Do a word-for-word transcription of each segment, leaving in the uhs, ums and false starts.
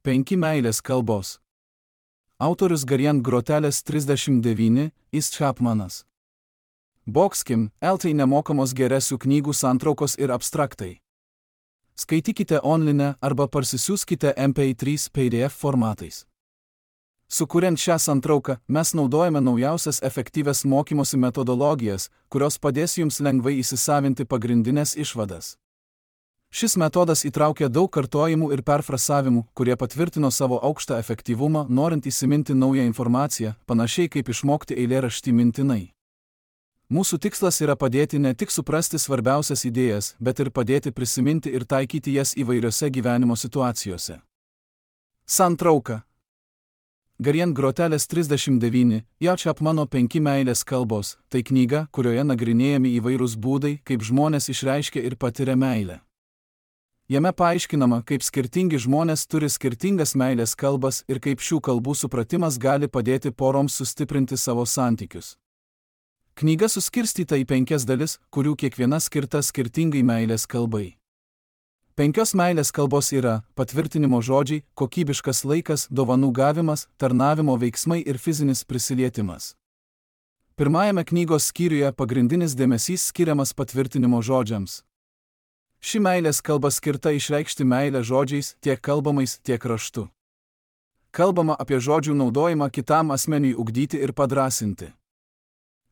Penki meilės kalbos. Autorius Garian Groteles trisdešimt devyni, Is Chapmanas. Boxkim, L T nemokamos geresių knygų santraukos ir abstraktai. Skaitykite online arba parsisiųskite M P trys P D F formatais. Sukuriant šią santrauką, mes naudojame naujausias efektyvias mokymosi metodologijas, kurios padės jums lengvai įsisavinti pagrindinės išvadas. Šis metodas įtraukia daug kartojimų ir perfrasavimų, kurie patvirtino savo aukštą efektyvumą, norint įsiminti naują informaciją, panašiai kaip išmokti eilėraštį mintinai. Mūsų tikslas yra padėti ne tik suprasti svarbiausias idėjas, bet ir padėti prisiminti ir taikyti jas įvairiose gyvenimo situacijose. Santrauka. Garian Groteles trisdešimt devyni, J. Chapmano penki meilės kalbos, tai knyga, kurioje nagrinėjami įvairūs būdai, kaip žmonės išreiškia ir patiria meilę. Jame paaiškinama, kaip skirtingi žmonės turi skirtingas meilės kalbas ir kaip šių kalbų supratimas gali padėti poroms sustiprinti savo santykius. Knyga suskirstyta į penkias dalis, kurių kiekviena skirta skirtingai meilės kalbai. Penkios meilės kalbos yra patvirtinimo žodžiai, kokybiškas laikas, dovanų gavimas, tarnavimo veiksmai ir fizinis prisilietimas. Pirmajame knygos skyriuje pagrindinis dėmesys skiriamas patvirtinimo žodžiams. Ši meilės kalba skirta išreikšti meilę žodžiais, tiek kalbamais, tiek raštu. Kalbama apie žodžių naudojimą kitam asmeniui ugdyti ir padrasinti.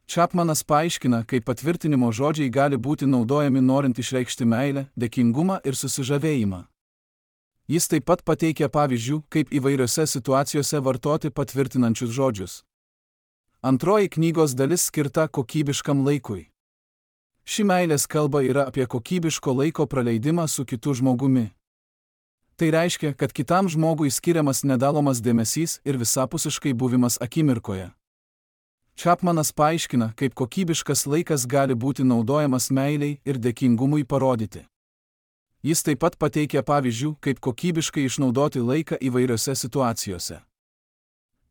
Chapmanas paaiškina, kaip patvirtinimo žodžiai gali būti naudojami norint išreikšti meilę, dėkingumą ir susižavėjimą. Jis taip pat pateikia pavyzdžių, kaip įvairiose situacijose vartoti patvirtinančius žodžius. Antroji knygos dalis skirta kokybiškam laikui. Ši meilės kalba yra apie kokybiško laiko praleidimą su kitu žmogumi. Tai reiškia, kad kitam žmogui skiriamas nedalomas dėmesys ir visapusiškai buvimas akimirkoje. Chapmanas paaiškina, kaip kokybiškas laikas gali būti naudojamas meiliai ir dėkingumui parodyti. Jis taip pat pateikia pavyzdžių, kaip kokybiškai išnaudoti laiką įvairiose situacijose.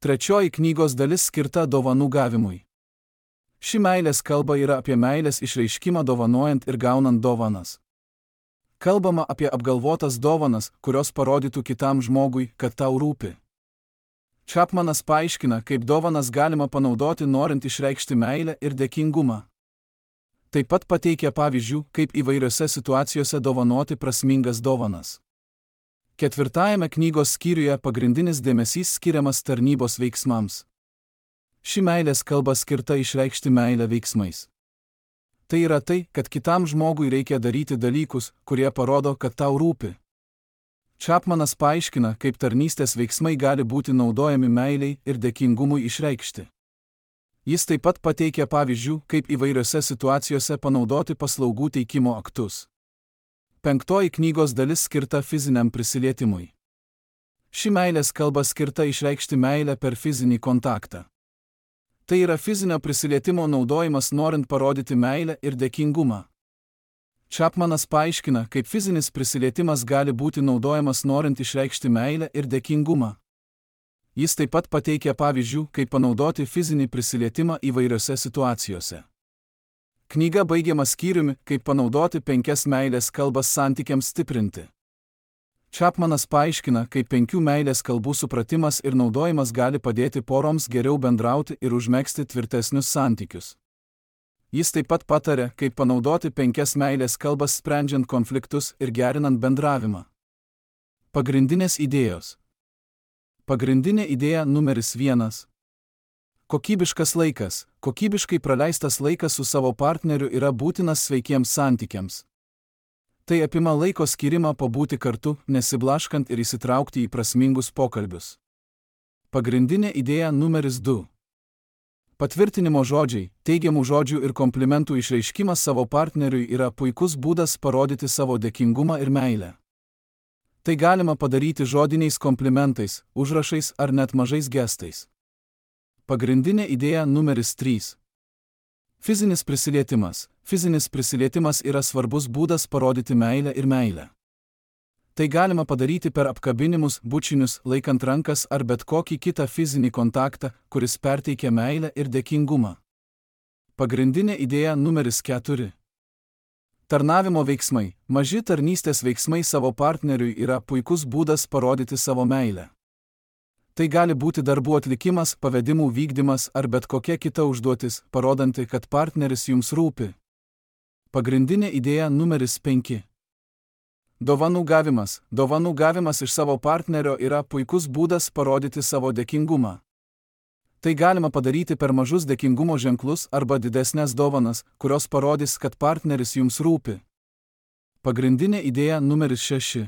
Trečioji knygos dalis skirta dovanų gavimui. Ši meilės kalba yra apie meilės išreiškimą dovanojant ir gaunant dovanas. Kalbama apie apgalvotas dovanas, kurios parodytų kitam žmogui, kad tau rūpi. Chapmanas paaiškina, kaip dovanas galima panaudoti norint išreikšti meilę ir dėkingumą. Taip pat pateikia pavyzdžių, kaip įvairiose situacijose dovanoti prasmingas dovanas. Ketvirtajame knygos skyriuje pagrindinis dėmesys skiriamas tarnybos veiksmams. Ši meilės kalba skirta išreikšti meilę veiksmais. Tai yra tai, kad kitam žmogui reikia daryti dalykus, kurie parodo, kad tau rūpi. Chapmanas paaiškina, kaip tarnystės veiksmai gali būti naudojami meiliai ir dėkingumui išreikšti. Jis taip pat pateikia pavyzdžių, kaip įvairiose situacijose panaudoti paslaugų teikimo aktus. Penktoji knygos dalis skirta fiziniam prisilietimui. Ši meilės kalba skirta išreikšti meilę per fizinį kontaktą. Tai yra fizinio prisilietimo naudojimas norint parodyti meilę ir dėkingumą. Chapmanas paaiškina, kaip fizinis prisilietimas gali būti naudojamas norint išreikšti meilę ir dėkingumą. Jis taip pat pateikia pavyzdžių, kaip panaudoti fizinį prisilietimą įvairiose situacijose. Knyga baigiama skyriumi, kaip panaudoti penkias meilės kalbas santykiams stiprinti. Chapmanas paaiškina, kaip penkių meilės kalbų supratimas ir naudojimas gali padėti poroms geriau bendrauti ir užmegzti tvirtesnius santykius. Jis taip pat pataria, kaip panaudoti penkias meilės kalbas sprendžiant konfliktus ir gerinant bendravimą. Pagrindinės idėjos. Pagrindinė idėja numeris vienas. Kokybiškas laikas. Kokybiškai praleistas laikas su savo partneriu yra būtinas sveikiems santykiams. Tai apima laiko skirimą pabūti kartu, nesiblaškant ir įsitraukti į prasmingus pokalbius. Pagrindinė idėja numeris du. Patvirtinimo žodžiai, teigiamų žodžių ir komplimentų išreiškimas savo partneriui yra puikus būdas parodyti savo dėkingumą ir meilę. Tai galima padaryti žodiniais komplimentais, užrašais ar net mažais gestais. Pagrindinė idėja numeris trys. Fizinis prisilietimas. Fizinis prisilietimas yra svarbus būdas parodyti meilę ir meilę. Tai galima padaryti per apkabinimus, bučinius, laikant rankas ar bet kokį kitą fizinį kontaktą, kuris perteikia meilę ir dėkingumą. Pagrindinė idėja numeris keturi. Tarnavimo veiksmai. Maži tarnystės veiksmai savo partneriui yra puikus būdas parodyti savo meilę. Tai gali būti darbų atlikimas, pavedimų vykdymas ar bet kokia kita užduotis, parodanti, kad partneris jums rūpi. Pagrindinė idėja numeris penki. Dovanų gavimas. Dovanų gavimas iš savo partnerio yra puikus būdas parodyti savo dėkingumą. Tai galima padaryti per mažus dėkingumo ženklus arba didesnės dovanas, kurios parodys, kad partneris jums rūpi. Pagrindinė idėja numeris šeši.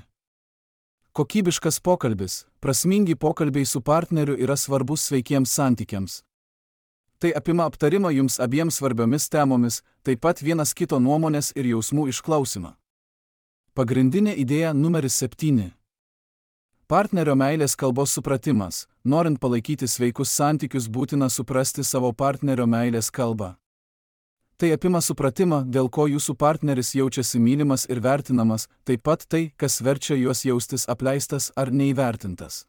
Kokybiškas pokalbis. Prasmingi pokalbiai su partneriu yra svarbus sveikiems santykiams. Tai apima aptarimą jums abiems svarbiomis temomis, taip pat vienas kito nuomonės ir jausmų išklausimą. Pagrindinė idėja numeris septyni. Partnerio meilės kalbos supratimas. Norint palaikyti sveikus santykius, būtina suprasti savo partnerio meilės kalbą. Tai apima supratimą, dėl ko jūsų partneris jaučiasi mylimas ir vertinamas, taip pat tai, kas verčia juos jaustis apleistas ar neįvertintas.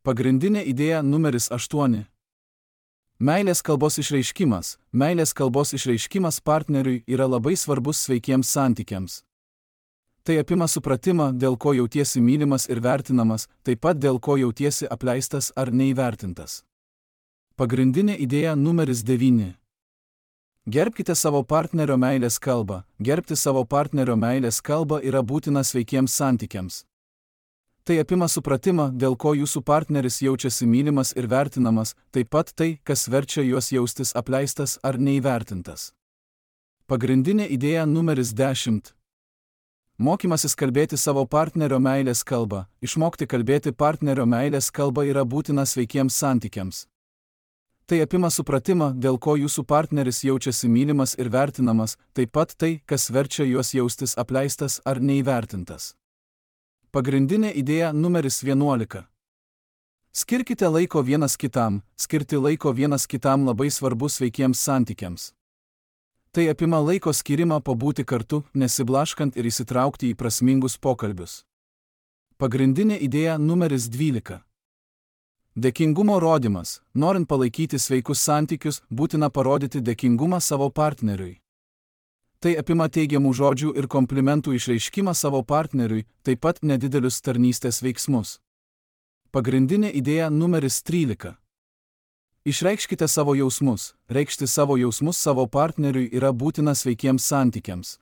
Pagrindinė idėja numeris aštuoni. Meilės kalbos išreiškimas. Meilės kalbos išreiškimas partneriui yra labai svarbus sveikiems santykiams. Tai apima supratimą, dėl ko jautiesi mylimas ir vertinamas, taip pat dėl ko jautiesi apleistas ar neįvertintas. Pagrindinė idėja numeris devyni. Gerbkite savo partnerio meilės kalbą. Gerbti savo partnerio meilės kalbą yra būtina sveikiems santykiams. Tai apima supratimą, dėl ko jūsų partneris jaučiasi mylimas ir vertinamas, taip pat tai, kas verčia juos jaustis apleistas ar neįvertintas. Pagrindinė idėja numeris dešimt. Mokymasis kalbėti savo partnerio meilės kalbą. Išmokti kalbėti partnerio meilės kalbą yra būtina sveikiems santykiams. Tai apima supratimą, dėl ko jūsų partneris jaučiasi mylimas ir vertinamas, taip pat tai, kas verčia juos jaustis apleistas ar neįvertintas. Pagrindinė idėja numeris vienuolika. Skirkite laiko vienas kitam. Skirti laiko vienas kitam labai svarbu sveikiems santykiams. Tai apima laiko skirimą pabūti kartu, nesiblaškant ir įsitraukti į prasmingus pokalbius. Pagrindinė idėja numeris dvylika. Dėkingumo rodymas. Norint palaikyti sveikus santykius, būtina parodyti dėkingumą savo partneriui. Tai apima teigiamų žodžių ir komplimentų išreiškimą savo partneriui, taip pat nedidelius tarnystės veiksmus. Pagrindinė idėja numeris trylika. Išreikškite savo jausmus. Reikšti savo jausmus savo partneriui yra būtina sveikiems santykiams.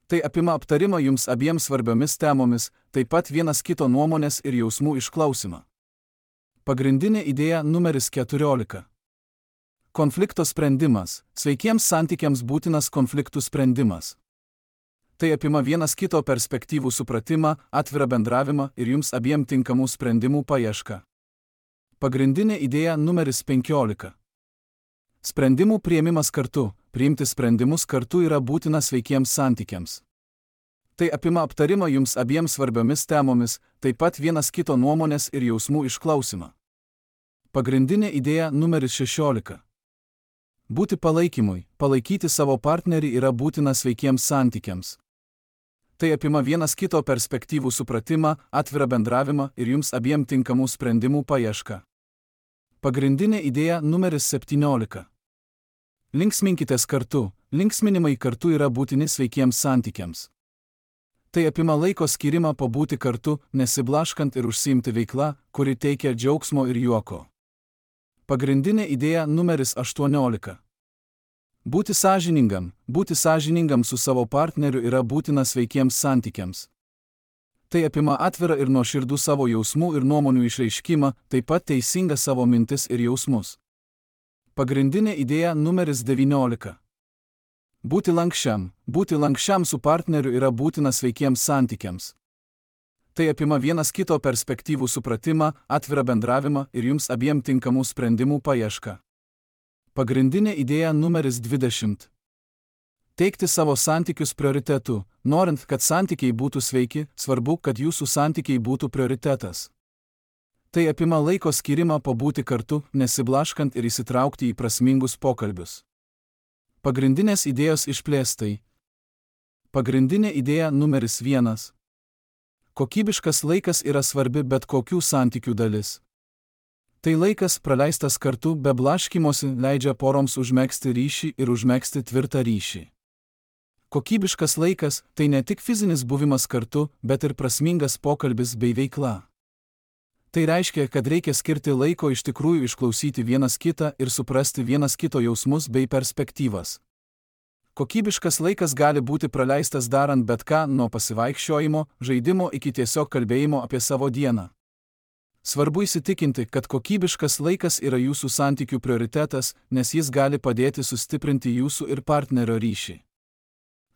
Tai apima aptarimą jums abiems svarbiomis temomis, taip pat vienas kito nuomonės ir jausmų išklausimą. Pagrindinė idėja numeris keturiolika. Konflikto sprendimas. Sveikiems santykiams būtinas konfliktų sprendimas. Tai apima vienas kito perspektyvų supratimą, atvirą bendravimą ir jums abiem tinkamų sprendimų paiešką. Pagrindinė idėja numeris penkiolika. Sprendimų priėmimas kartu. Priimti sprendimus kartu yra būtina sveikiems santykiams. Tai apima aptarimą jums abiems svarbiomis temomis, taip pat vienas kito nuomonės ir jausmų išklausimą. Pagrindinė idėja numeris šešiolika. Būti palaikymui. Palaikyti savo partnerį yra būtina sveikiems santykiams. Tai apima vienas kito perspektyvų supratimą, atvirą bendravimą ir jums abiem tinkamų sprendimų paiešką. Pagrindinė idėja numeris septyniolika. Linksminkitės kartu. Linksminimai kartu yra būtini sveikiems santykiams. Tai apima laiko skirimą pabūti kartu, nesiblaškant ir užsiimti veiklą, kuri teikia džiaugsmo ir juoko. Pagrindinė idėja numeris aštuoniolika. Būti sąžiningam. Būti sąžiningam su savo partneriu yra būtina sveikiems santykiams. Tai apima atvirą ir nuoširdų savo jausmų ir nuomonių išreiškimą, taip pat teisingą savo mintis ir jausmus. Pagrindinė idėja numeris devyniolika. Būti lankščiam. Būti lankščiam su partneriu yra būtina sveikiems santykiams. Tai apima vienas kito perspektyvų supratimą, atvirą bendravimą ir jums abiem tinkamų sprendimų paiešką. Pagrindinė idėja numeris dvidešimt. Teikti savo santykius prioritetu. Norint, kad santykiai būtų sveiki, svarbu, kad jūsų santykiai būtų prioritetas. Tai apima laiko skirimą pabūti kartu, nesiblaškant ir įsitraukti į prasmingus pokalbius. Pagrindinės idėjos išplėstai. Pagrindinė idėja numeris vienas. Kokybiškas laikas yra svarbi bet kokių santykių dalis. Tai laikas praleistas kartu be blaškymosi leidžia poroms užmegzti ryšį ir užmegzti tvirtą ryšį. Kokybiškas laikas – tai ne tik fizinis buvimas kartu, bet ir prasmingas pokalbis bei veikla. Tai reiškia, kad reikia skirti laiko iš tikrųjų išklausyti vienas kitą ir suprasti vienas kito jausmus bei perspektyvas. Kokybiškas laikas gali būti praleistas darant bet ką nuo pasivaikščiojimo, žaidimo iki tiesiog kalbėjimo apie savo dieną. Svarbu įsitikinti, kad kokybiškas laikas yra jūsų santykių prioritetas, nes jis gali padėti sustiprinti jūsų ir partnerio ryšį.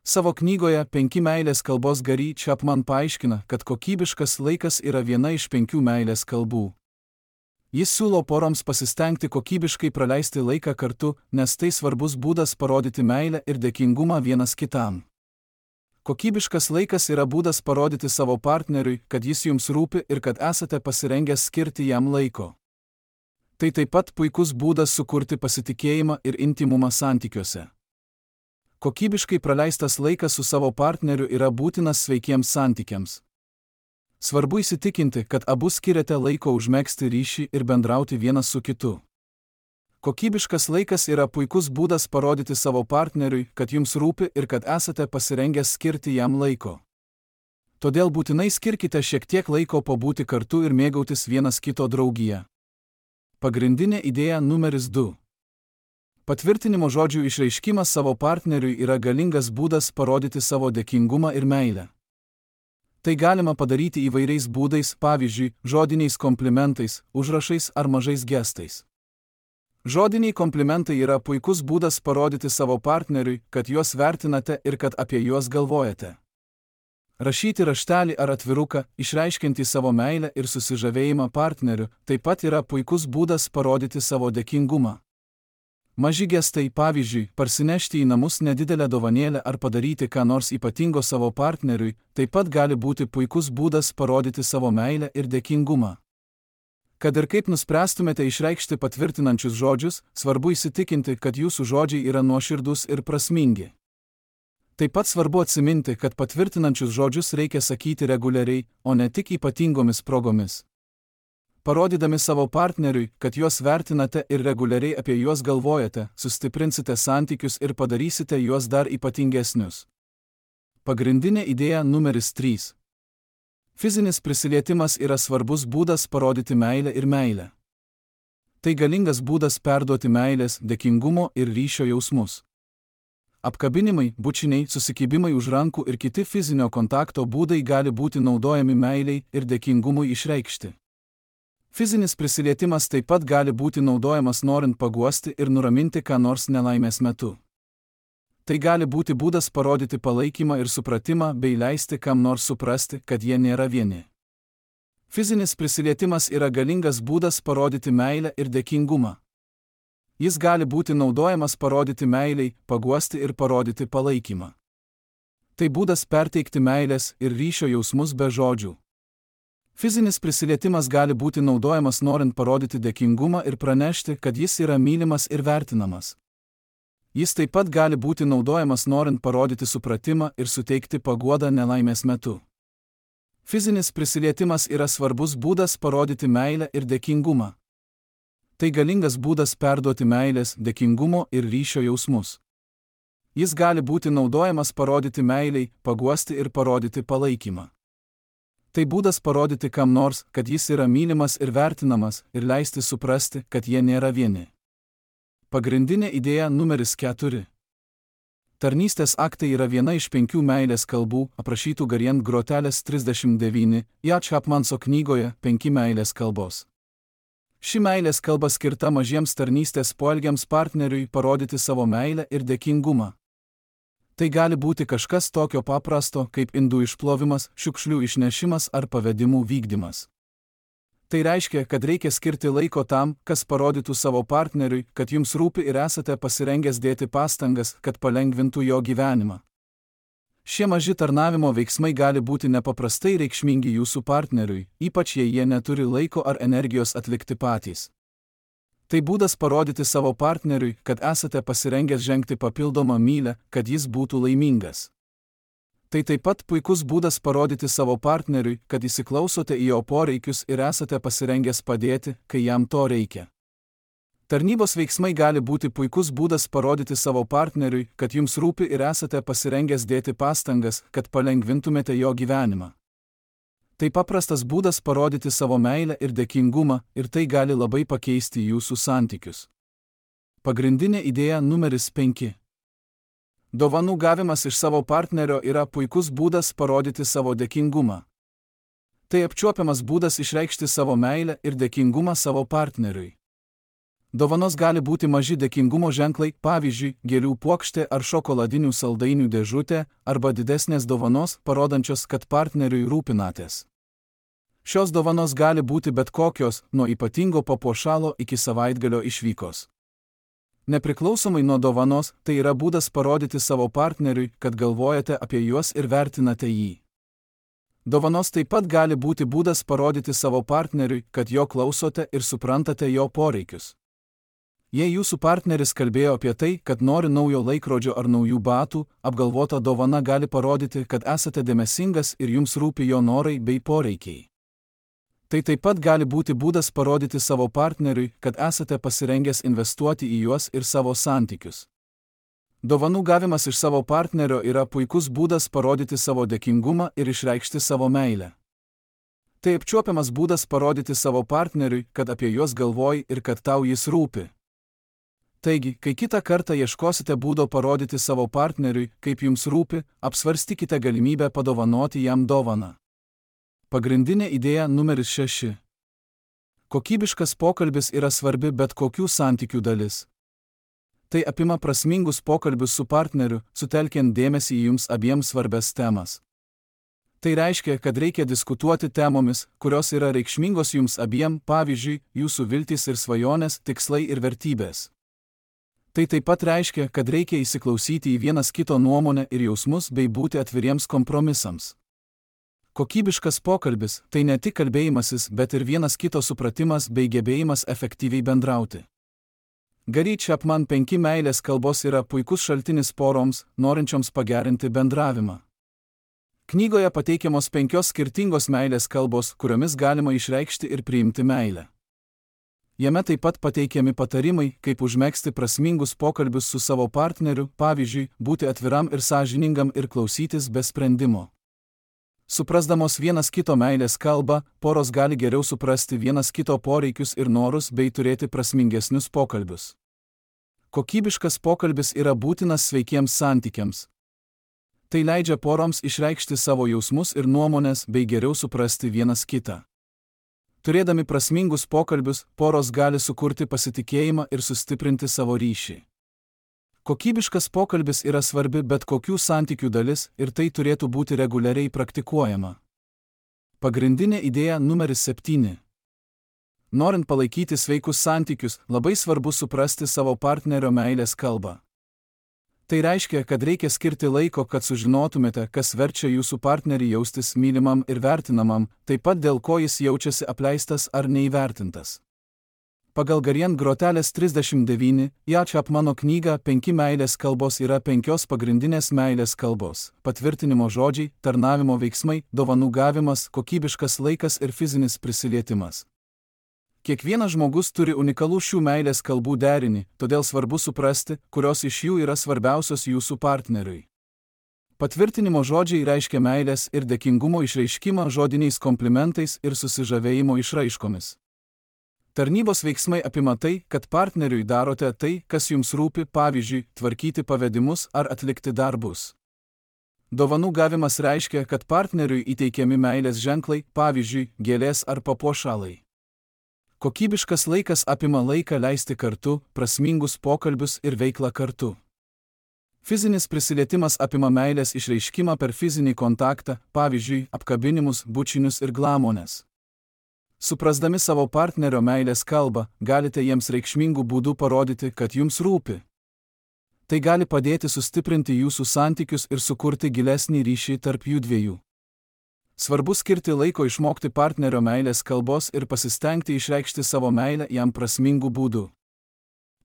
Savo knygoje Penki meilės kalbos Gary Chapman paaiškina, kad kokybiškas laikas yra viena iš penkių meilės kalbų. Jis siūlo poroms pasistengti kokybiškai praleisti laiką kartu, nes tai svarbus būdas parodyti meilę ir dėkingumą vienas kitam. Kokybiškas laikas yra būdas parodyti savo partneriui, kad jis jums rūpi ir kad esate pasirengęs skirti jam laiko. Tai taip pat puikus būdas sukurti pasitikėjimą ir intimumą santykiuose. Kokybiškai praleistas laikas su savo partneriu yra būtinas sveikiems santykiams. Svarbu įsitikinti, kad abu skiriate laiko užmegzti ryšį ir bendrauti vienas su kitu. Kokybiškas laikas yra puikus būdas parodyti savo partneriui, kad jums rūpi ir kad esate pasirengęs skirti jam laiko. Todėl būtinai skirkite šiek tiek laiko pabūti kartu ir mėgautis vienas kito draugija. Pagrindinė idėja numeris du. Patvirtinimo žodžių išreiškimas savo partneriui yra galingas būdas parodyti savo dėkingumą ir meilę. Tai galima padaryti įvairiais būdais, pavyzdžiui, žodiniais komplimentais, užrašais ar mažais gestais. Žodiniai komplimentai yra puikus būdas parodyti savo partneriui, kad juos vertinate ir kad apie juos galvojate. Rašyti raštelį ar atviruką, išreiškiantį savo meilę ir susižavėjimą partneriu, taip pat yra puikus būdas parodyti savo dėkingumą. Maži gestai, pavyzdžiui, parsinešti į namus nedidelę dovanėlę ar padaryti ką nors ypatingo savo partneriui, taip pat gali būti puikus būdas parodyti savo meilę ir dėkingumą. Kad ir kaip nuspręstumėte išreikšti patvirtinančius žodžius, svarbu įsitikinti, kad jūsų žodžiai yra nuoširdūs ir prasmingi. Taip pat svarbu atsiminti, kad patvirtinančius žodžius reikia sakyti reguliariai, o ne tik ypatingomis progomis. Parodydami savo partneriui, kad juos vertinate ir reguliariai apie juos galvojate, sustiprinsite santykius ir padarysite juos dar ypatingesnius. Pagrindinė idėja numeris trys. Fizinis prisilietimas yra svarbus būdas parodyti meilę ir meilę. Tai galingas būdas perduoti meilės, dėkingumo ir ryšio jausmus. Apkabinimai, bučiniai, susikibimai už rankų ir kiti fizinio kontakto būdai gali būti naudojami meiliai ir dėkingumui išreikšti. Fizinis prisilietimas taip pat gali būti naudojamas norint paguosti ir nuraminti ką nors nelaimės metu. Tai gali būti būdas parodyti palaikymą ir supratimą bei leisti kam nors suprasti, kad jie nėra vieni. Fizinis prisilietimas yra galingas būdas parodyti meilę ir dėkingumą. Jis gali būti naudojamas parodyti meiliai, paguosti ir parodyti palaikymą. Tai būdas perteikti meilės ir ryšio jausmus be žodžių. Fizinis prisilietimas gali būti naudojamas norint parodyti dėkingumą ir pranešti, kad jis yra mylimas ir vertinamas. Jis taip pat gali būti naudojamas norint parodyti supratimą ir suteikti paguodą nelaimės metu. Fizinis prisilietimas yra svarbus būdas parodyti meilę ir dėkingumą. Tai galingas būdas perduoti meilės, dėkingumo ir ryšio jausmus. Jis gali būti naudojamas parodyti meiliai, paguosti ir parodyti palaikymą. Tai būdas parodyti kam nors, kad jis yra mylimas ir vertinamas, ir leisti suprasti, kad jie nėra vieni. Pagrindinė idėja numeris keturi. Tarnystės aktai yra viena iš penkių meilės kalbų, aprašytų Gary Grotelės trisdešimt devyni, J. Chapmanso knygoje Penki meilės kalbos. Ši meilės kalba skirta mažiems tarnystės poelgiams partneriui parodyti savo meilę ir dėkingumą. Tai gali būti kažkas tokio paprasto, kaip indų išplovimas, šiukšlių išnešimas ar pavedimų vykdymas. Tai reiškia, kad reikia skirti laiko tam, kas parodytų savo partneriui, kad jums rūpi ir esate pasirengęs dėti pastangas, kad palengvintų jo gyvenimą. Šie maži tarnavimo veiksmai gali būti nepaprastai reikšmingi jūsų partneriui, ypač jei jie neturi laiko ar energijos atlikti patys. Tai būdas parodyti savo partneriui, kad esate pasirengęs žengti papildomą mylią, kad jis būtų laimingas. Tai taip pat puikus būdas parodyti savo partneriui, kad įsiklausote į jo poreikius ir esate pasirengęs padėti, kai jam to reikia. Tarnybos veiksmai gali būti puikus būdas parodyti savo partneriui, kad jums rūpi ir esate pasirengęs dėti pastangas, kad palengvintumėte jo gyvenimą. Tai paprastas būdas parodyti savo meilę ir dėkingumą, ir tai gali labai pakeisti jūsų santykius. Pagrindinė idėja numeris penki. Dovanų gavimas iš savo partnerio yra puikus būdas parodyti savo dėkingumą. Tai apčiuopiamas būdas išreikšti savo meilę ir dėkingumą savo partneriui. Dovanos gali būti maži dėkingumo ženklai, pavyzdžiui, gėlių puokštė ar šokoladinių saldainių dėžutė, arba didesnės dovanos, parodančios, kad partneriui rūpinatės. Šios dovanos gali būti bet kokios, nuo ypatingo papuošalo iki savaitgalio išvykos. Nepriklausomai nuo dovanos, tai yra būdas parodyti savo partneriui, kad galvojate apie juos ir vertinate jį. Dovanos taip pat gali būti būdas parodyti savo partneriui, kad jo klausote ir suprantate jo poreikius. Jei jūsų partneris kalbėjo apie tai, kad nori naujo laikrodžio ar naujų batų, apgalvota dovana gali parodyti, kad esate dėmesingas ir jums rūpi jo norai bei poreikiai. Tai taip pat gali būti būdas parodyti savo partneriui, kad esate pasirengęs investuoti į juos ir savo santykius. Dovanų gavimas iš savo partnerio yra puikus būdas parodyti savo dėkingumą ir išreikšti savo meilę. Tai apčiuopiamas būdas parodyti savo partneriui, kad apie juos galvoji ir kad tau jis rūpi. Taigi, kai kitą kartą ieškosite būdo parodyti savo partneriui, kaip jums rūpi, apsvarstykite galimybę padovanoti jam dovaną. Pagrindinė idėja numeris šeši. Kokybiškas pokalbis yra svarbi bet kokių santykių dalis. Tai apima prasmingus pokalbius su partneriu, sutelkiant dėmesį į jums abiems svarbias temas. Tai reiškia, kad reikia diskutuoti temomis, kurios yra reikšmingos jums abiem, pavyzdžiui, jūsų viltys ir svajonės, tikslai ir vertybės. Tai taip pat reiškia, kad reikia įsiklausyti į vienas kito nuomonę ir jausmus bei būti atviriems kompromisams. Kokybiškas pokalbis – tai ne tik kalbėjimasis, bet ir vienas kito supratimas bei gebėjimas efektyviai bendrauti. Gary Chapman penki meilės kalbos yra puikus šaltinis poroms, norinčioms pagerinti bendravimą. Knygoje pateikiamos penkios skirtingos meilės kalbos, kuriomis galima išreikšti ir priimti meilę. Jame taip pat pateikiami patarimai, kaip užmegzti prasmingus pokalbius su savo partneriu, pavyzdžiui, būti atviram ir sąžiningam ir klausytis be sprendimo. Suprasdamos vienas kito meilės kalbą, poros gali geriau suprasti vienas kito poreikius ir norus bei turėti prasmingesnius pokalbius. Kokybiškas pokalbis yra būtinas sveikiems santykiams. Tai leidžia poroms išreikšti savo jausmus ir nuomonės bei geriau suprasti vienas kitą. Turėdami prasmingus pokalbius, poros gali sukurti pasitikėjimą ir sustiprinti savo ryšį. Kokybiškas pokalbis yra svarbi bet kokių santykių dalis ir tai turėtų būti reguliariai praktikuojama. Pagrindinė idėja numeris septyni. Norint palaikyti sveikus santykius, labai svarbu suprasti savo partnerio meilės kalbą. Tai reiškia, kad reikia skirti laiko, kad sužinotumėte, kas verčia jūsų partnerį jaustis mylimam ir vertinamam, taip pat dėl ko jis jaučiasi apleistas ar neįvertintas. Pagal Gary Grotelės trisdešimt devyni, Gary Chapmano knygą penki meilės kalbos yra penkios pagrindinės meilės kalbos – patvirtinimo žodžiai, tarnavimo veiksmai, dovanų gavimas, kokybiškas laikas ir fizinis prisilietimas. Kiekvienas žmogus turi unikalų šių meilės kalbų derinį, todėl svarbu suprasti, kurios iš jų yra svarbiausios jūsų partneriui. Patvirtinimo žodžiai reiškia meilės ir dėkingumo išreiškimą žodiniais komplimentais ir susižavėjimo išraiškomis. Tarnybos veiksmai apima tai, kad partneriui darote tai, kas jums rūpi, pavyzdžiui, tvarkyti pavedimus ar atlikti darbus. Dovanų gavimas reiškia, kad partneriui įteikiami meilės ženklai, pavyzdžiui, gėlės ar papuošalai. Kokybiškas laikas apima laiką leisti kartu, prasmingus pokalbius ir veiklą kartu. Fizinis prisilietimas apima meilės išreiškimą per fizinį kontaktą, pavyzdžiui, apkabinimus, bučinius ir glamonės. Suprasdami savo partnerio meilės kalbą, galite jiems reikšmingų būdų parodyti, kad jums rūpi. Tai gali padėti sustiprinti jūsų santykius ir sukurti gilesnį ryšį tarp jų dviejų. Svarbu skirti laiko išmokti partnerio meilės kalbos ir pasistengti išreikšti savo meilę jam prasmingų būdų.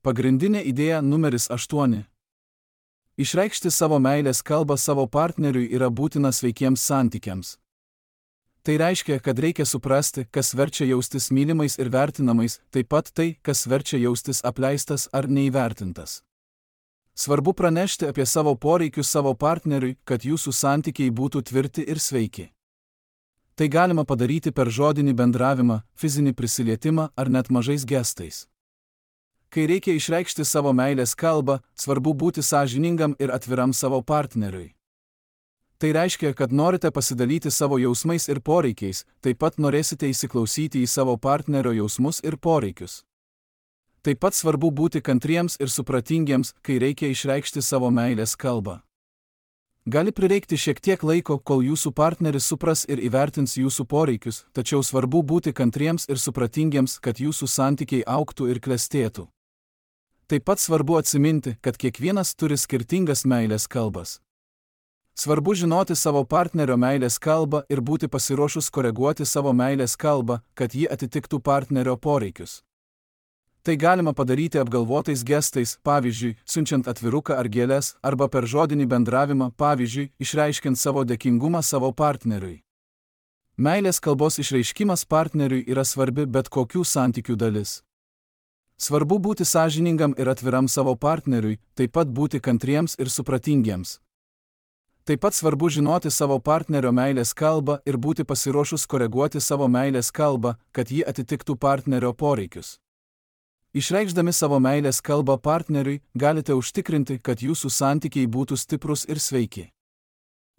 Pagrindinė idėja numeris aštuoni. Išreikšti savo meilės kalbą savo partneriui yra būtina sveikiems santykiams. Tai reiškia, kad reikia suprasti, kas verčia jaustis mylimais ir vertinamais, taip pat tai, kas verčia jaustis apleistas ar neįvertintas. Svarbu pranešti apie savo poreikius savo partneriui, kad jūsų santykiai būtų tvirti ir sveiki. Tai galima padaryti per žodinį bendravimą, fizinį prisilietimą ar net mažais gestais. Kai reikia išreikšti savo meilės kalbą, svarbu būti sąžiningam ir atviram savo partneriui. Tai reiškia, kad norite pasidalyti savo jausmais ir poreikiais, taip pat norėsite įsiklausyti į savo partnerio jausmus ir poreikius. Taip pat svarbu būti kantriems ir supratingiems, kai reikia išreikšti savo meilės kalbą. Gali prireikti šiek tiek laiko, kol jūsų partneris supras ir įvertins jūsų poreikius, tačiau svarbu būti kantriems ir supratingiems, kad jūsų santykiai augtų ir klestėtų. Taip pat svarbu atsiminti, kad kiekvienas turi skirtingas meilės kalbas. Svarbu žinoti savo partnerio meilės kalbą ir būti pasiruošus koreguoti savo meilės kalbą, kad ji atitiktų partnerio poreikius. Tai galima padaryti apgalvotais gestais, pavyzdžiui, siunčiant atviruką ar gėles, arba per žodinį bendravimą, pavyzdžiui, išreiškiant savo dėkingumą savo partneriui. Meilės kalbos išreiškimas partneriui yra svarbi bet kokių santykių dalis. Svarbu būti sąžiningam ir atviram savo partneriui, taip pat būti kantriems ir supratingiems. Taip pat svarbu žinoti savo partnerio meilės kalbą ir būti pasiruošus koreguoti savo meilės kalbą, kad ji atitiktų partnerio poreikius. Išreikšdami savo meilės kalbą partneriui, galite užtikrinti, kad jūsų santykiai būtų stiprus ir sveiki.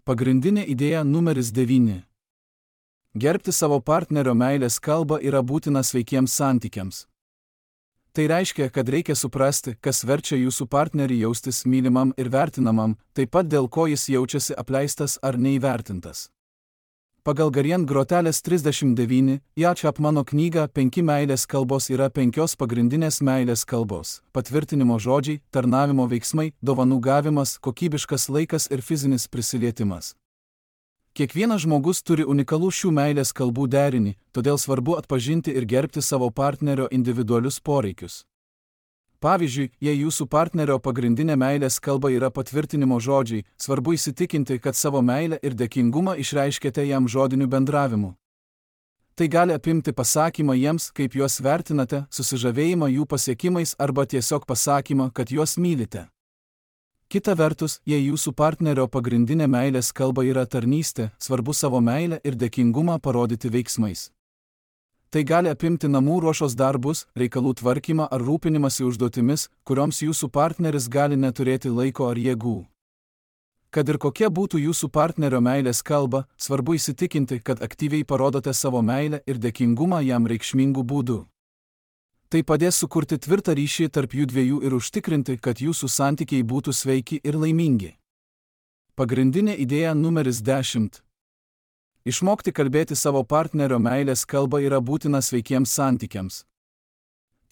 Pagrindinė idėja numeris devyni. Gerbti savo partnerio meilės kalbą yra būtina sveikiems santykiams. Tai reiškia, kad reikia suprasti, kas verčia jūsų partnerį jaustis mylimam ir vertinamam, taip pat dėl ko jis jaučiasi apleistas ar neįvertintas. Pagal Garian Grotelės trisdešimt devyni, J. Chapmano knygą penki meilės kalbos yra penkios pagrindinės meilės kalbos – patvirtinimo žodžiai, tarnavimo veiksmai, dovanų gavimas, kokybiškas laikas ir fizinis prisilietimas. Kiekvienas žmogus turi unikalų šių meilės kalbų derinį, todėl svarbu atpažinti ir gerbti savo partnerio individualius poreikius. Pavyzdžiui, jei jūsų partnerio pagrindinė meilės kalba yra patvirtinimo žodžiai, svarbu įsitikinti, kad savo meilę ir dėkingumą išreiškėte jam žodiniu bendravimu. Tai gali apimti pasakymą jiems, kaip juos vertinate, susižavėjimą jų pasiekimais arba tiesiog pasakymą, kad juos mylite. Kita vertus, jei jūsų partnerio pagrindinė meilės kalba yra tarnystė, svarbu savo meilę ir dėkingumą parodyti veiksmais. Tai gali apimti namų ruošos darbus, reikalų tvarkymą ar rūpinimąsi užduotimis, kurioms jūsų partneris gali neturėti laiko ar jėgų. Kad ir kokia būtų jūsų partnerio meilės kalba, svarbu įsitikinti, kad aktyviai parodote savo meilę ir dėkingumą jam reikšmingų būdų. Tai padės sukurti tvirtą ryšį tarp jų dviejų ir užtikrinti, kad jūsų santykiai būtų sveiki ir laimingi. Pagrindinė idėja numeris dešimt. Išmokti kalbėti savo partnerio meilės kalbą yra būtina sveikiems santykiams.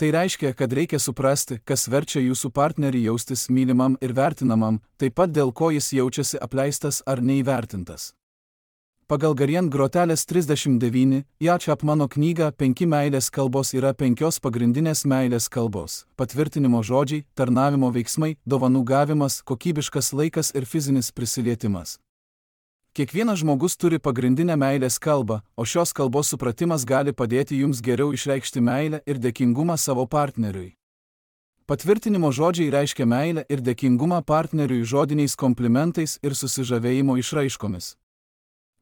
Tai reiškia, kad reikia suprasti, kas verčia jūsų partnerį jaustis mylimam ir vertinamam, taip pat dėl ko jis jaučiasi apleistas ar neįvertintas. Pagal Garian Grotelės trisdešimt devyni, J. Chapmano knygą penki meilės kalbos yra penkios pagrindinės meilės kalbos – patvirtinimo žodžiai, tarnavimo veiksmai, dovanų gavimas, kokybiškas laikas ir fizinis prisilietimas. Kiekvienas žmogus turi pagrindinę meilės kalbą, o šios kalbos supratimas gali padėti jums geriau išreikšti meilę ir dėkingumą savo partneriui. Patvirtinimo žodžiai reiškia meilę ir dėkingumą partneriui žodiniais komplimentais ir susižavėjimo išraiškomis.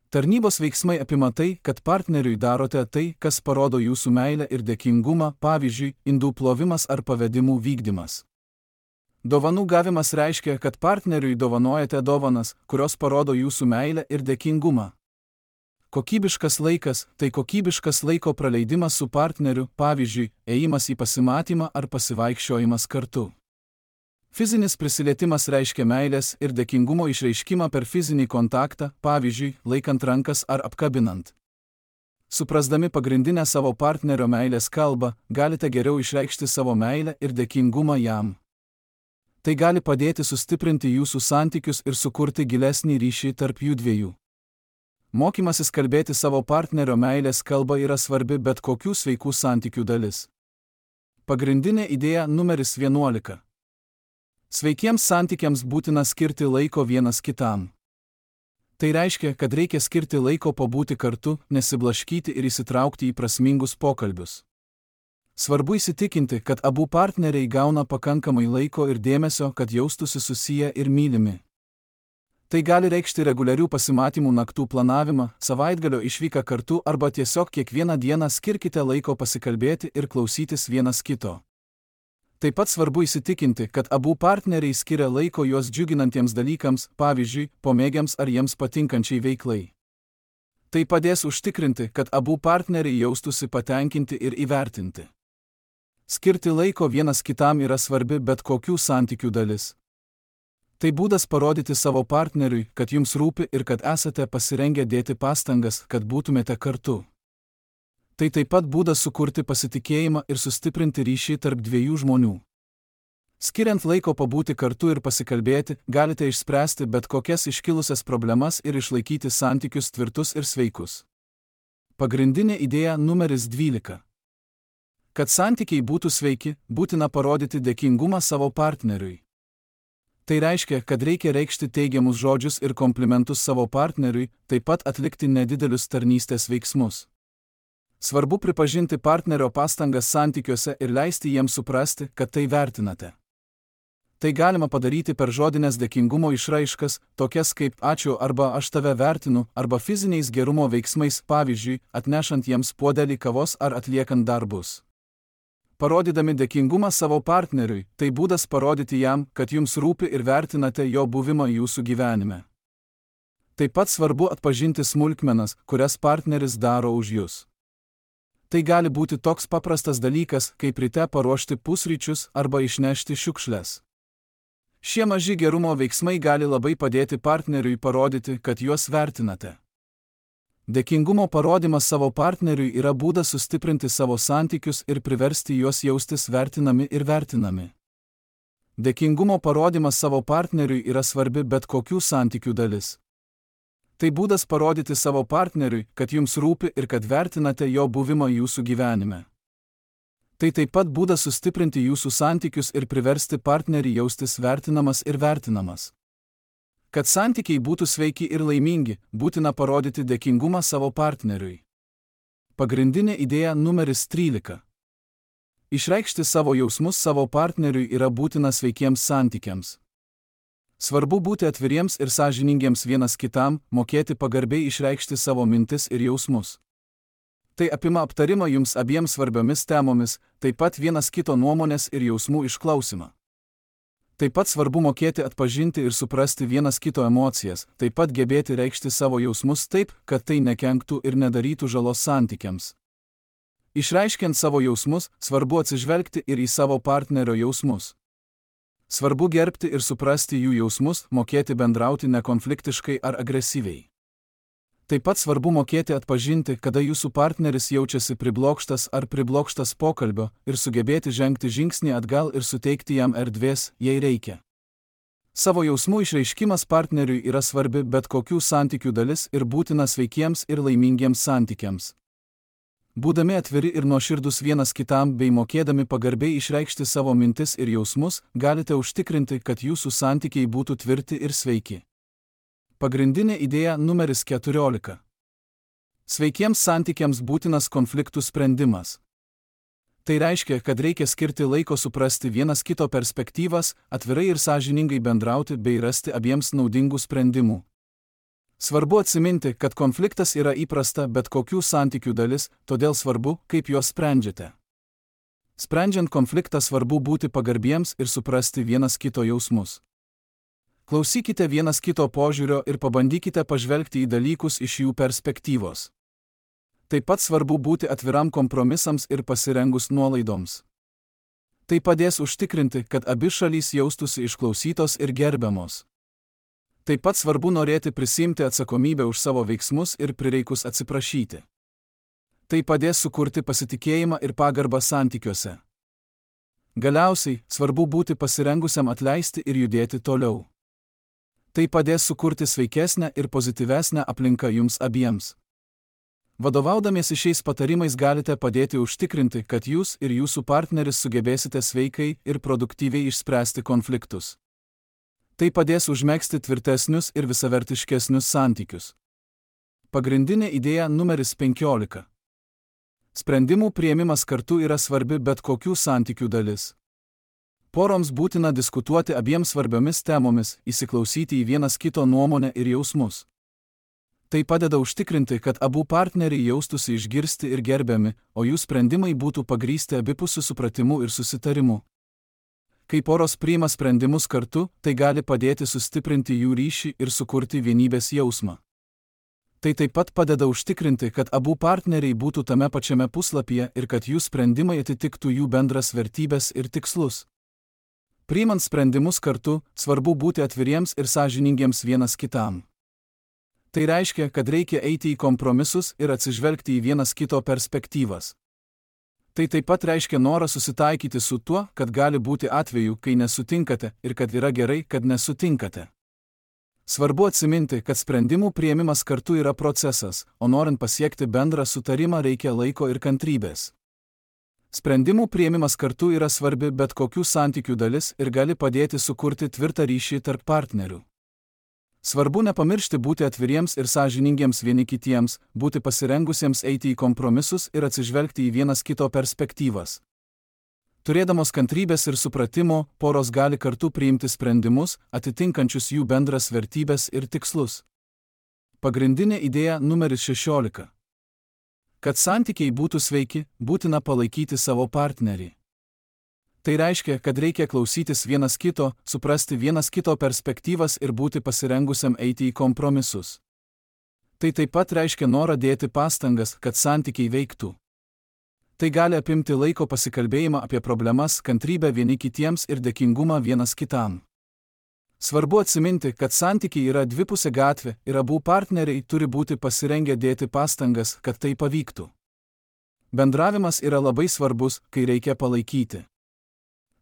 Tarnybos veiksmai apima tai, kad partneriui darote tai, kas parodo jūsų meilę ir dėkingumą, pavyzdžiui, indų plovimas ar pavedimų vykdymas. Dovanų gavimas reiškia, kad partneriui dovanojate dovanas, kurios parodo jūsų meilę ir dėkingumą. Kokybiškas laikas – tai kokybiškas laiko praleidimas su partneriu, pavyzdžiui, ėjimas į pasimatymą ar pasivaikščiojimas kartu. Fizinis prisilietimas reiškia meilės ir dėkingumo išreiškimą per fizinį kontaktą, pavyzdžiui, laikant rankas ar apkabinant. Suprasdami pagrindinę savo partnerio meilės kalbą, galite geriau išreikšti savo meilę ir dėkingumą jam. Tai gali padėti sustiprinti jūsų santykius ir sukurti gilesnį ryšį tarp jų dviejų. Mokymasis kalbėti savo partnerio meilės kalbą yra svarbi bet kokių sveikų santykių dalis. Pagrindinė idėja numeris vienuolika. Sveikiems santykiams būtina skirti laiko vienas kitam. Tai reiškia, kad reikia skirti laiko pabūti kartu, nesiblaškyti ir įsitraukti į prasmingus pokalbius. Svarbu įsitikinti, kad abu partneriai gauna pakankamai laiko ir dėmesio, kad jaustųsi susiję ir mylimi. Tai gali reikšti reguliarių pasimatymų naktų planavimą, savaitgalio išvyką kartu arba tiesiog kiekvieną dieną skirkite laiko pasikalbėti ir klausytis vienas kito. Taip pat svarbu įsitikinti, kad abu partneriai skiria laiko juos džiuginantiems dalykams, pavyzdžiui, pomėgiams ar jiems patinkančiai veiklai. Tai padės užtikrinti, kad abu partneriai jaustųsi patenkinti ir įvertinti. Skirti laiko vienas kitam yra svarbi bet kokių santykių dalis. Tai būdas parodyti savo partneriui, kad jums rūpi ir kad esate pasirengę dėti pastangas, kad būtumėte kartu. Tai taip pat būdas sukurti pasitikėjimą ir sustiprinti ryšį tarp dviejų žmonių. Skiriant laiko pabūti kartu ir pasikalbėti, galite išspręsti bet kokias iškilusias problemas ir išlaikyti santykius tvirtus ir sveikus. Pagrindinė idėja numeris dvylika. Kad santykiai būtų sveiki, būtina parodyti dėkingumą savo partneriui. Tai reiškia, kad reikia reikšti teigiamus žodžius ir komplimentus savo partneriui, taip pat atlikti nedidelius tarnystės veiksmus. Svarbu pripažinti partnerio pastangas santykiuose ir leisti jiems suprasti, kad tai vertinate. Tai galima padaryti per žodinės dėkingumo išraiškas, tokias kaip ačiū arba aš tave vertinu, arba fiziniais gerumo veiksmais, pavyzdžiui, atnešant jiems puodelį kavos ar atliekant darbus. Parodydami dėkingumą savo partneriui, tai būdas parodyti jam, kad jums rūpi ir vertinate jo buvimą jūsų gyvenime. Taip pat svarbu atpažinti smulkmenas, kurias partneris daro už jūs. Tai gali būti toks paprastas dalykas, kaip ryte paruošti pusryčius arba išnešti šiukšles. Šie maži gerumo veiksmai gali labai padėti partneriui parodyti, kad juos vertinate. Dėkingumo parodymas savo partneriui yra būdas sustiprinti savo santykius ir priversti juos jaustis vertinami ir vertinami. Dėkingumo parodymas savo partneriui yra svarbi bet kokių santykių dalis. Tai būdas parodyti savo partneriui, kad jums rūpi ir kad vertinate jo buvimą jūsų gyvenime. Tai taip pat būdas sustiprinti jūsų santykius ir priversti partnerį jaustis vertinamas ir vertinamas. Kad santykiai būtų sveiki ir laimingi, būtina parodyti dėkingumą savo partneriui. Pagrindinė idėja numeris trylika. Išreikšti savo jausmus savo partneriui yra būtina sveikiems santykiams. Svarbu būti atviriems ir sąžiningiems vienas kitam, mokėti pagarbiai išreikšti savo mintis ir jausmus. Tai apima aptarimą jums abiems svarbiomis temomis, taip pat vienas kito nuomonės ir jausmų išklausimą. Taip pat svarbu mokėti atpažinti ir suprasti vienas kito emocijas, taip pat gebėti reikšti savo jausmus taip, kad tai nekenktų ir nedarytų žalos santykiams. Išreiškiant savo jausmus, svarbu atsižvelgti ir į savo partnerio jausmus. Svarbu gerbti ir suprasti jų jausmus, mokėti bendrauti nekonfliktiškai ar agresyviai. Taip pat svarbu mokėti atpažinti, kada jūsų partneris jaučiasi priblokštas ar priblokštas pokalbio ir sugebėti žengti žingsnį atgal ir suteikti jam erdvės, jei reikia. Savo jausmų išreiškimas partneriui yra svarbi bet kokių santykių dalis ir būtina sveikiems ir laimingiems santykiams. Būdami atviri ir nuoširdūs vienas kitam bei mokėdami pagarbiai išreikšti savo mintis ir jausmus, galite užtikrinti, kad jūsų santykiai būtų tvirti ir sveiki. Pagrindinė idėja numeris keturiolika. Sveikiems santykiams būtinas konfliktų sprendimas. Tai reiškia, kad reikia skirti laiko suprasti vienas kito perspektyvas, atvirai ir sąžiningai bendrauti bei rasti abiems naudingų sprendimų. Svarbu atsiminti, kad konfliktas yra įprasta bet kokių santykių dalis, todėl svarbu, kaip juos sprendžiate. Sprendžiant konfliktą svarbu būti pagarbiems ir suprasti vienas kito jausmus. Klausykite vienas kito požiūrio ir pabandykite pažvelgti į dalykus iš jų perspektyvos. Taip pat svarbu būti atviram kompromisams ir pasirengus nuolaidoms. Tai padės užtikrinti, kad abi šalys jaustųsi išklausytos ir gerbiamos. Taip pat svarbu norėti prisiimti atsakomybę už savo veiksmus ir prireikus atsiprašyti. Tai padės sukurti pasitikėjimą ir pagarbą santykiuose. Galiausiai, svarbu būti pasirengusiam atleisti ir judėti toliau. Tai padės sukurti sveikesnę ir pozityvesnę aplinką jums abiems. Vadovaudamiesi šiais patarimais galite padėti užtikrinti, kad jūs ir jūsų partneris sugebėsite sveikai ir produktyviai išspręsti konfliktus. Tai padės užmegzti tvirtesnius ir visavertiškesnius santykius. Pagrindinė idėja numeris penkiolika. Sprendimų priėmimas kartu yra svarbi bet kokių santykių dalis. Poroms būtina diskutuoti abiem svarbiomis temomis, įsiklausyti į vienas kito nuomonę ir jausmus. Tai padeda užtikrinti, kad abu partneriai jaustųsi išgirsti ir gerbiami, o jų sprendimai būtų pagrįsti abipusiu supratimu ir susitarimu. Kai poros priima sprendimus kartu, tai gali padėti sustiprinti jų ryšį ir sukurti vienybės jausmą. Tai taip pat padeda užtikrinti, kad abu partneriai būtų tame pačiame puslapyje ir kad jų sprendimai atitiktų jų bendras vertybes ir tikslus. Priimant sprendimus kartu, svarbu būti atviriems ir sąžiningiems vienas kitam. Tai reiškia, kad reikia eiti į kompromisus ir atsižvelgti į vienas kito perspektyvas. Tai taip pat reiškia norą susitaikyti su tuo, kad gali būti atvejų, kai nesutinkate ir kad yra gerai, kad nesutinkate. Svarbu atsiminti, kad sprendimų priėmimas kartu yra procesas, o norint pasiekti bendrą sutarimą reikia laiko ir kantrybės. Sprendimų priėmimas kartu yra svarbi bet kokių santykių dalis ir gali padėti sukurti tvirtą ryšį tarp partnerių. Svarbu nepamiršti būti atviriems ir sąžiningiems vieni kitiems, būti pasirengusiems eiti į kompromisus ir atsižvelgti į vienas kito perspektyvas. Turėdamos kantrybės ir supratimo, poros gali kartu priimti sprendimus, atitinkančius jų bendras vertybes ir tikslus. Pagrindinė idėja numeris šešiolika. Kad santykiai būtų sveiki, būtina palaikyti savo partnerį. Tai reiškia, kad reikia klausytis vienas kito, suprasti vienas kito perspektyvas ir būti pasirengusiam eiti į kompromisus. Tai taip pat reiškia norą dėti pastangas, kad santykiai veiktų. Tai gali apimti laiko pasikalbėjimą apie problemas, kantrybę vieni kitiems ir dėkingumą vienas kitam. Svarbu atsiminti, kad santykiai yra dvipusė gatvė ir abu partneriai turi būti pasirengę dėti pastangas, kad tai pavyktų. Bendravimas yra labai svarbus, kai reikia palaikyti.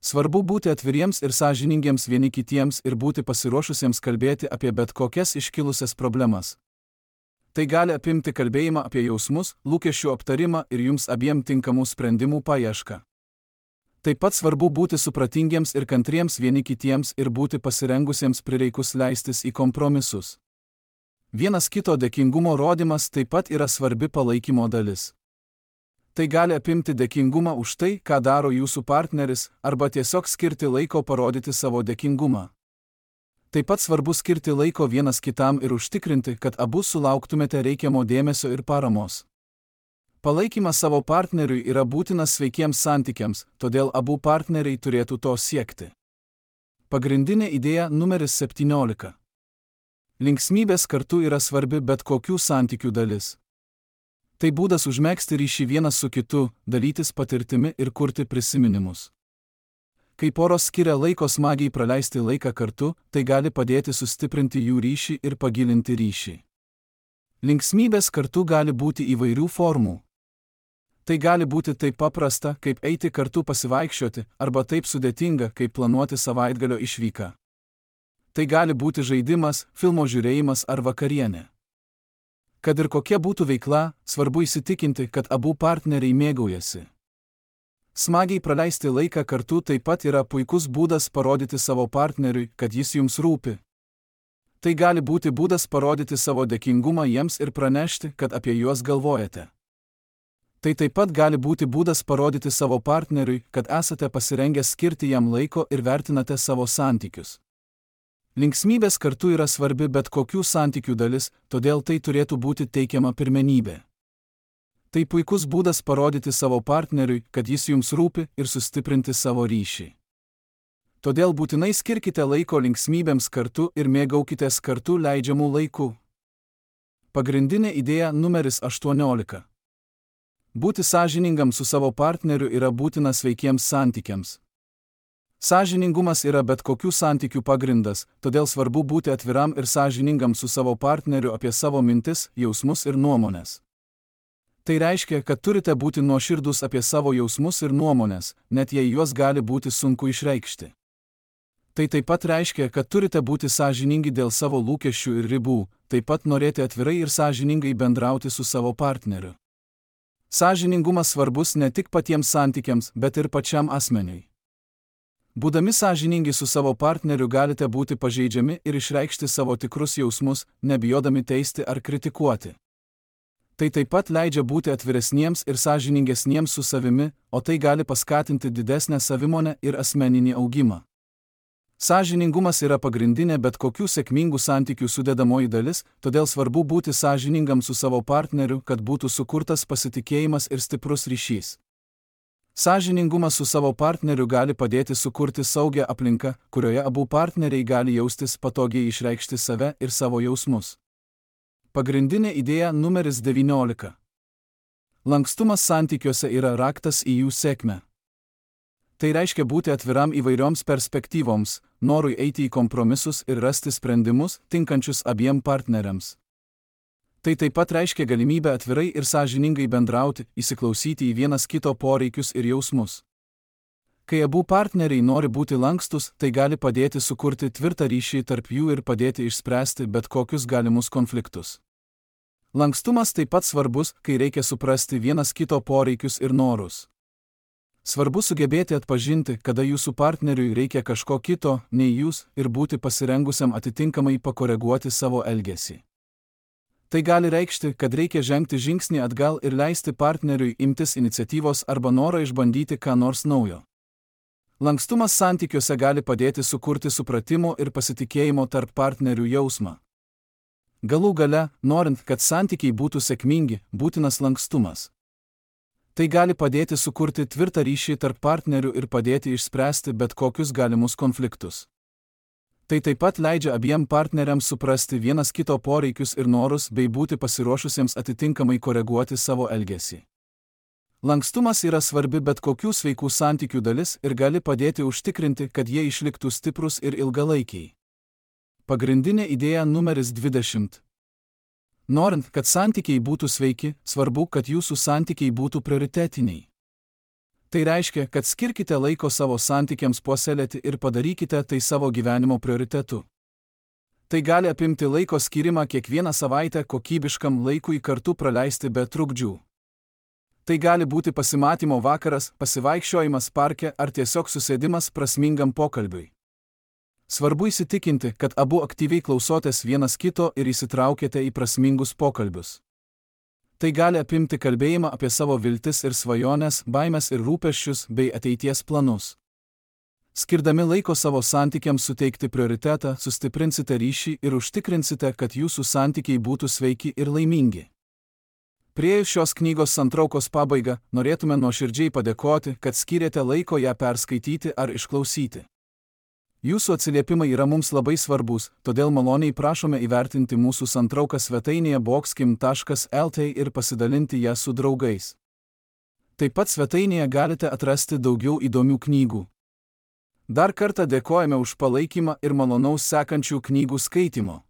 Svarbu būti atviriems ir sąžiningiems vieni kitiems ir būti pasiruošusiems kalbėti apie bet kokias iškilusias problemas. Tai gali apimti kalbėjimą apie jausmus, lūkesčių aptarimą ir jums abiem tinkamų sprendimų paiešką. Taip pat svarbu būti supratingiems ir kantriems vieni kitiems ir būti pasirengusiems prireikus leistis į kompromisus. Vienas kito dėkingumo rodymas taip pat yra svarbi palaikymo dalis. Tai gali apimti dėkingumą už tai, ką daro jūsų partneris, arba tiesiog skirti laiko parodyti savo dėkingumą. Taip pat svarbu skirti laiko vienas kitam ir užtikrinti, kad abu sulauktumėte reikiamo dėmesio ir paramos. Palaikymas savo partneriui yra būtinas sveikiems santykiams, todėl abu partneriai turėtų to siekti. Pagrindinė idėja numeris septyniolika. Linksmybės kartu yra svarbi bet kokių santykių dalis. Tai būdas užmegzti ryšį vienas su kitu, dalytis patirtimi ir kurti prisiminimus. Kai poros skiria laiko smagiai praleisti laiką kartu, tai gali padėti sustiprinti jų ryšį ir pagilinti ryšį. Linksmybės kartu gali būti įvairių formų. Tai gali būti taip paprasta, kaip eiti kartu pasivaikščioti, arba taip sudėtinga, kaip planuoti savaitgalio išvyką. Tai gali būti žaidimas, filmo žiūrėjimas ar vakarienė. Kad ir kokia būtų veikla, svarbu įsitikinti, kad abu partneriai mėgaujasi. Smagiai praleisti laiką kartu taip pat yra puikus būdas parodyti savo partneriui, kad jis jums rūpi. Tai gali būti būdas parodyti savo dėkingumą jiems ir pranešti, kad apie juos galvojate. Tai taip pat gali būti būdas parodyti savo partneriui, kad esate pasirengę skirti jam laiko ir vertinate savo santykius. Linksmybės kartu yra svarbi bet kokių santykių dalis, todėl tai turėtų būti teikiama pirmenybė. Tai puikus būdas parodyti savo partneriui, kad jis jums rūpi ir sustiprinti savo ryšį. Todėl būtinai skirkite laiko linksmybėms kartu ir mėgaukitės kartu leidžiamų laikų. Pagrindinė idėja numeris aštuoniolika. Būti sąžiningam su savo partneriu yra būtina sveikiems santykiams. Sąžiningumas yra bet kokių santykių pagrindas, todėl svarbu būti atviram ir sąžiningam su savo partneriu apie savo mintis, jausmus ir nuomonės. Tai reiškia, kad turite būti nuoširdūs apie savo jausmus ir nuomonės, net jei juos gali būti sunku išreikšti. Tai taip pat reiškia, kad turite būti sąžiningi dėl savo lūkesčių ir ribų, taip pat norėti atvirai ir sąžiningai bendrauti su savo partneriu. Sąžiningumas svarbus ne tik patiems santykiams, bet ir pačiam asmeniui. Būdami sąžiningi su savo partneriu galite būti pažeidžiami ir išreikšti savo tikrus jausmus, nebijodami teisti ar kritikuoti. Tai taip pat leidžia būti atviresniems ir sąžiningesniems su savimi, o tai gali paskatinti didesnę savimonę ir asmeninį augimą. Sąžiningumas yra pagrindinė bet kokių sėkmingų santykių sudedamoji dalis, todėl svarbu būti sąžiningam su savo partneriu, kad būtų sukurtas pasitikėjimas ir stiprus ryšys. Sąžiningumas su savo partneriu gali padėti sukurti saugią aplinką, kurioje abu partneriai gali jaustis patogiai išreikšti save ir savo jausmus. Pagrindinė idėja numeris devyniolika. Lankstumas santykiuose yra raktas į jų sėkmę. Tai reiškia būti atviram įvairioms perspektyvoms, norui eiti į kompromisus ir rasti sprendimus, tinkančius abiem partneriams. Tai taip pat reiškia galimybę atvirai ir sąžiningai bendrauti, įsiklausyti į vienas kito poreikius ir jausmus. Kai abu partneriai nori būti lankstus, tai gali padėti sukurti tvirtą ryšį tarp jų ir padėti išspręsti bet kokius galimus konfliktus. Lankstumas taip pat svarbus, kai reikia suprasti vienas kito poreikius ir norus. Svarbu sugebėti atpažinti, kada jūsų partneriui reikia kažko kito, nei jūs, ir būti pasirengusiam atitinkamai pakoreguoti savo elgesį. Tai gali reikšti, kad reikia žengti žingsnį atgal ir leisti partneriui imtis iniciatyvos arba norą išbandyti ką nors naujo. Lankstumas santykiuose gali padėti sukurti supratimo ir pasitikėjimo tarp partnerių jausmą. Galų gale, norint, kad santykiai būtų sėkmingi, būtinas lankstumas. Tai gali padėti sukurti tvirtą ryšį tarp partnerių ir padėti išspręsti bet kokius galimus konfliktus. Tai taip pat leidžia abiem partneriams suprasti vienas kito poreikius ir norus bei būti pasiruošusiems atitinkamai koreguoti savo elgesį. Lankstumas yra svarbi bet kokių sveikų santykių dalis ir gali padėti užtikrinti, kad jie išliktų stiprus ir ilgalaikiai. Pagrindinė idėja numeris dvidešimt. Norint, kad santykiai būtų sveiki, svarbu, kad jūsų santykiai būtų prioritetiniai. Tai reiškia, kad skirkite laiko savo santykiams puoselėti ir padarykite tai savo gyvenimo prioritetu. Tai gali apimti laiko skirimą kiekvieną savaitę kokybiškam laikui kartu praleisti be trukdžių. Tai gali būti pasimatymo vakaras, pasivaikščiojimas parke ar tiesiog susėdimas prasmingam pokalbiui. Svarbu įsitikinti, kad abu aktyviai klausotės vienas kito ir įsitraukėte į prasmingus pokalbius. Tai gali apimti kalbėjimą apie savo viltis ir svajones, baimes ir rūpesčius bei ateities planus. Skirdami laiko savo santykiams suteikti prioritetą, sustiprinsite ryšį ir užtikrinsite, kad jūsų santykiai būtų sveiki ir laimingi. Priėjus šios knygos santraukos pabaigą, norėtume nuoširdžiai padėkoti, kad skyrėte laiko ją perskaityti ar išklausyti. Jūsų atsiliepimai yra mums labai svarbus, todėl maloniai prašome įvertinti mūsų santrauką svetainėje boxkim taškas el tė ir pasidalinti ją su draugais. Taip pat svetainėje galite atrasti daugiau įdomių knygų. Dar kartą dėkojame už palaikymą ir malonaus sekančių knygų skaitimo.